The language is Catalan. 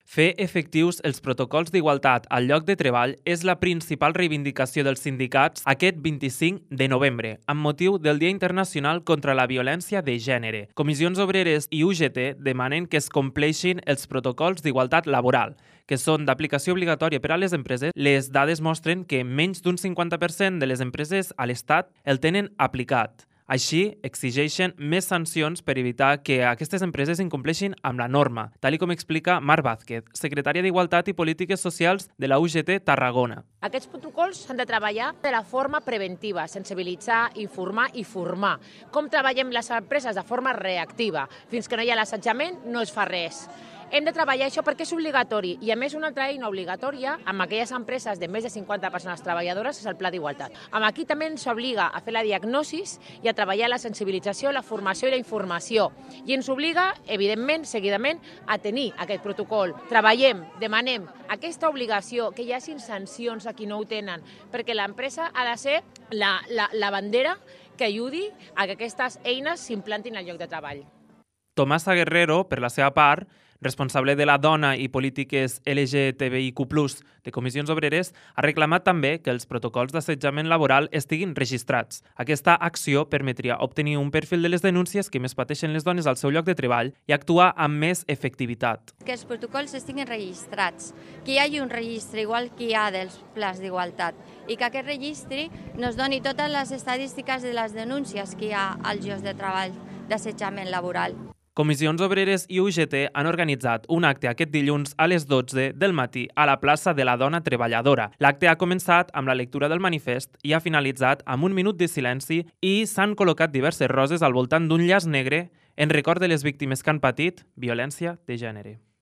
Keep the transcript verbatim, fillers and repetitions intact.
Fer efectius els protocols d'igualtat al lloc de treball és la principal reivindicació dels sindicats aquest vint-i-cinc de novembre, amb motiu del Dia Internacional contra la Violència de Gènere. Comissions Obreres i U G T demanen que es compleixin els protocols d'igualtat laboral, que són d'aplicació obligatòria per a les empreses. Les dades mostren que menys d'un cinquanta per cent de les empreses a l'Estat el tenen aplicat. Així, exigeixen més sancions per evitar que aquestes empreses incompleixin amb la norma, tal com explica Mar Vázquez, secretària d'Igualtat i Polítiques Socials de la U G T Tarragona. Aquests protocols s'han de treballar de la forma preventiva, sensibilitzar, informar i formar. Com treballem les empreses de forma reactiva? Fins que no hi ha l'assetjament, no es fa res. Hem de treballar això perquè és obligatori i, a més, una altra eina obligatòria amb aquelles empreses de més de cinquanta persones treballadores és el Pla d'Igualtat. Amb aquí també ens obliga a fer la diagnosi i a treballar la sensibilització, la formació i la informació. I ens obliga, evidentment, seguidament, a tenir aquest protocol. Treballem, demanem aquesta obligació, que hi hagi sancions a qui no ho tenen, perquè l'empresa ha de ser la, la, la bandera que ajudi a que aquestes eines s'implantin al lloc de treball. Tomasa Guerrero, per la seva part, responsable de la dona i polítiques L G T B I Q plus, de Comissions Obreres, ha reclamat també que els protocols d'assetjament laboral estiguin registrats. Aquesta acció permetria obtenir un perfil de les denúncies que més pateixen les dones al seu lloc de treball i actuar amb més efectivitat. Que els protocols estiguin registrats, que hi hagi un registre igual que hi ha dels plans d'igualtat i que aquest registre ens doni totes les estadístiques de les denúncies que hi ha als llocs de treball d'assetjament laboral. Comissions Obreres i U G T han organitzat un acte aquest dilluns a les dotze del matí a la plaça de la Dona Treballadora. L'acte ha començat amb la lectura del manifest i ha finalitzat amb un minut de silenci i s'han col·locat diverses roses al voltant d'un llaç negre en record de les víctimes que han patit violència de gènere.